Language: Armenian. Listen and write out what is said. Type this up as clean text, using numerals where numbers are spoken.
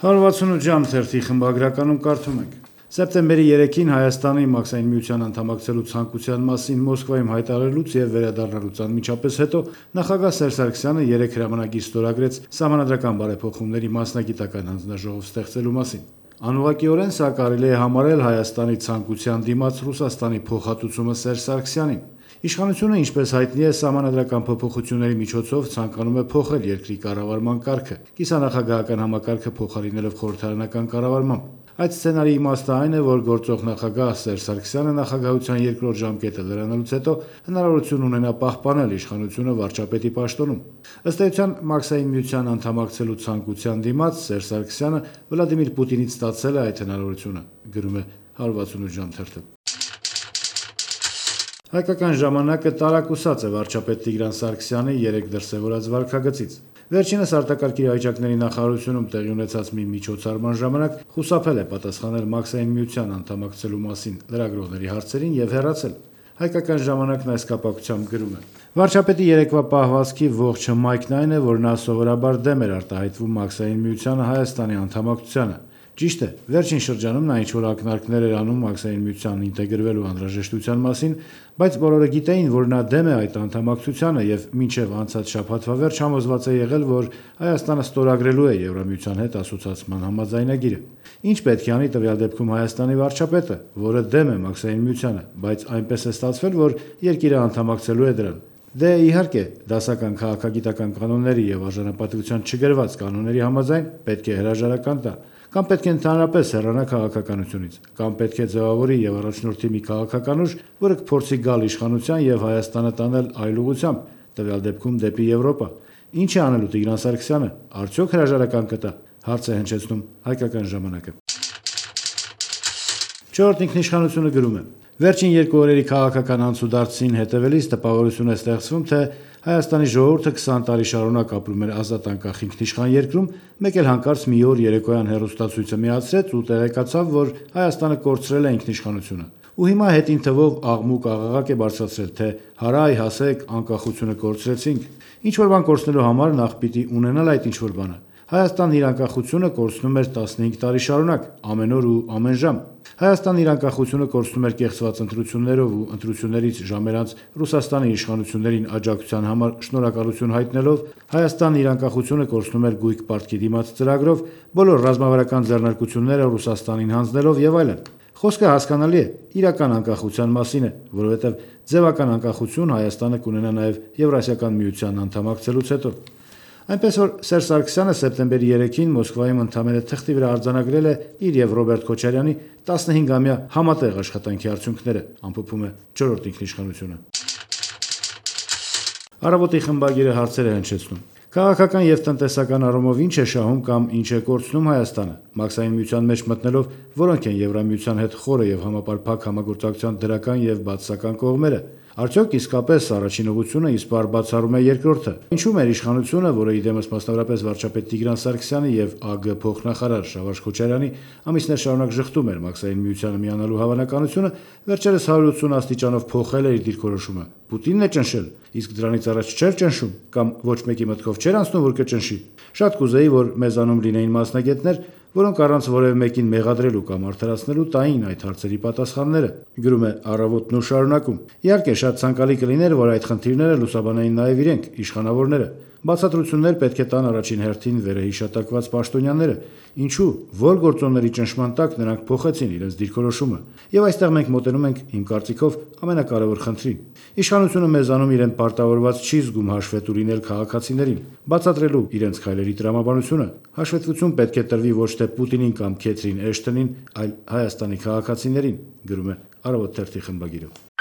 168 ժամ թերթի խմբագրականում կարդում ենք. Սեպտեմբերի 3-ին Հայաստանի Մաքսային միության անդամակցելու ցանկության մասին Մոսկվայում հայտարարելուց եւ վերադառնալուց անմիջապես հետո նախագահ Սերժ Սարգսյանը 3 հրամանագիր ստորագրեց սահմանադրական բարեփոխումների մասնագիտական հանձնաժողով ստեղծելու մասին։ Անուղղակիորեն սա կարելի է համարել Հայաստանի ցանկության դիմաց Ռուսաստանի փոխհատուցումը Սերժ Սարգսյանին։ Իշխանությունը, ինչպես հայտնի է, սահմանադրական փոփոխությունների միջոցով ցանկանում է փոխել երկրի կառավարման կարգը, կիսանախագահական համակարգը փոխարինելով խորհրդարանական կառավարմամբ։ Այդ սցենարի իմաստը այն է, որ գործող նախագահ Սերժ Սարգսյանը նախագահության երկրորդ ժամկետը լրանալուց հետո հնարավորություն ունենա պահպանել իշխանությունը վարչապետի պաշտոնում։ Ըստ էության, Մաքսային միության անդամակցելու ցանկության դիմաց Սերժ Սարգսյանը Վլադիմիր Պուտինից ստացել է այդ հնարավորությունը, գրում է 168 ժամ թերթը։ Հայկական ժամանակը տարակուսած է վարչապետ Տիգրան Սարգսյանի 3 դրսևորած վարքագծից։ Վերջինս արտակարգ իրավիճակների նախարարությունում տեղի ունեցած մի միջոցառման ժամանակ խուսափել է պատասխանել Մաքսային միության անդամակցելու մասին լրագրողների հարցերին եւ հեռացել։ Հայկական ժամանակն այս կապակցությամբ գրում է. Վարչապետի երեկվա պահվածքի ողջ հմայքն այն է, որ նա սովորաբար դեմ էր արտահայտվում Մաքսային միությանը Հայաստանի անդամակցությանը։ Ճիշտ է, վերջին շրջանում նա ինչ-որ ակնարկներ էր անում Մաքսային միությանն ինտեգրվելու անհրաժեշտության մասին, բայց բոլորը գիտեին, որ նա դեմ է այդ անդամակցությանը եւ մինչեւ անցած շաբաթվա վերջ համոզված է եղել, որ Հայաստանը ստորագրելու է Եվրամիության հետ ասոցիացման համաձայնագիրը։ Ինչ պետք է անի տվյալ դեպքում Հայաստանի վարչապետը, որը դեմ է Մաքսային միությանը, բայց այնպես է ստացվել, որ երկիրը անդամակցելու է դրան։ Դե իհարկե, դասական քաղաքագիտական կանոնների եւ արժանապատվության չգրված կանոնների համաձայն պետք է հրաժարական տա, կամ պետք է ընդհանրապես հեռանա քաղաքականությունից, կամ պետք է ձևավորի եւ առաջնորդի մի քաղաքականուշ, որը կփորձի գալ իշխանության եւ Հայաստանը տանել այլ ուղղությամբ, տվյալ դեպքում դեպի Եվրոպա։ Ինչ է անելու Տիգրան Սարգսյանը, արդյոք հրաժարական կտա, հարց է հնչեցնում Հայկական ժամանակը։ Չորրորդ ինքնիշխանությունը գրում է. Վերջին 2 օրերի քաղաքական անցուդարձին հետևելիս տպավորություն է ստեղծվում, թե Հայաստանի ժողովուրդը 20 տարի շարունակ ապրում էր ազատ անկախ ինքնիշխան երկրում, մեկ էլ հանկարծ մի օր երեկոյան հեռուստացույցը միացրեց ու տեղեկացավ, որ Հայաստանը կորցրել է ինքնիշխանությունը։ Ու հիմա հետին թվով աղմուկ աղաղակ է բարձրացրել, թե հարայ հասեք, անկախությունը կորցրեցինք։ Ինչ որ բան կորցնելու համար նախ պիտի ունենալ այդ ինչ որ բանը։ Հայաստանն իր անկախությունը կորցնում էր 15 տարի շարունակ, ամեն օր ու ամեն ժամ։ Հայաստանն իր անկախությունը կորցնում էր կեղծված ընտրություններով ու ընտրություններից ժամեր անց Ռուսաստանի իշխանություններին աջակցության համար շնորհակալություն հայտնելով, Հայաստանն իր անկախությունը կորցնում էր գույք պարտքի դիմաց ծրագրով, բոլոր ռազմավարական ձեռնարկությունները Ռուսաստանին հանձնելով եւ այլն։ Խոսքը հասկանալի է, իրական անկախության մասին է, որովհետեւ ձևական անկախություն Հայաստանը կունենա նաեւ Եվրասիական միության անդամակցելուց հետո։ Այնպես որ Սերժ Սարգսյանը սեպտեմբերի 3-ին Մոսկվայում ընդամենը թղթի վրա արձանագրել է իր եւ Ռոբերտ Քոչարյանի 15-ամյա համատեղ աշխատանքի արդյունքները, ամփոփում է 4-րդ ինքնիշխանությունը։ Առավոտի խմբագիրը հարցեր է հնչեցնում. Քաղաքական եւ տնտեսական առումով ինչ է շահում կամ ինչ է կորցնում Հայաստանը։ Մաքսային միության մեջ մտնելով որոնք են Եվրամիության հետ խորը եւ համապարփակ համագործակցության դրական եւ բացասական կողմերը։ Արդյոք իսկապես առաջին ուղղությունը իսպառ բացառում է երկրորդը։ Ինչու՞ մեր իշխանությունը, որը իդեմս մասնավորապես վարչապետ Տիգրան Սարգսյանի եւ ԱԳ փոխնախարար Շավարժ Քոչարյանի ամիսներ շարունակ շղթում էր Մաքսային միությանը միանալու հավանականությունը, վերջերս 180 աստիճանով փոխել է իր դիրքորոշումը։ Պուտինն է ճնշել, իսկ դրանից առաջ չէր ճնշում, կամ ոչ մեկի մտքով չէր անցնում, որ կճնշի։ Շատ կուզեի, որ մեզանում լինեին մասնագետներ, որոնք առանց որևէ մեկին մեղադրելու կամ արդարացնելու տային այդ հարցերի պատասխանները, գրում է Առավոտն ու շարունակում։ Իհարկե, շատ ցանկալի կլիներ, որ այդ խնդիրները լուսաբանային նաև իրենք, իշխանավորները։ Բացատրություններ պետք է տան առաջին հերթին վերահիշատակված պաշտոնյաները, ինչու, որ գործոնների ճնշման տակ նրանք փոխեցին իրենց դիրքորոշումը։ Եվ այստեղ մենք մոտենում ենք, իմ կարծիքով, ամենակարևոր խնդրին։ Իշխանությունը մեզանում իրեն պարտավորված չի զգում հաշվետու լինել քաղաքացիներին, բացատրելու իրենց քայլերի տրամաբանությունը։ Հաշվետվություն պետք է տրվի ոչ թե Պուտինին կամ Քեթրին Էշթոնին, այլ Հայաստանի քաղաքացիներին, գրում է Առավոտ թերթի խմբագիրը։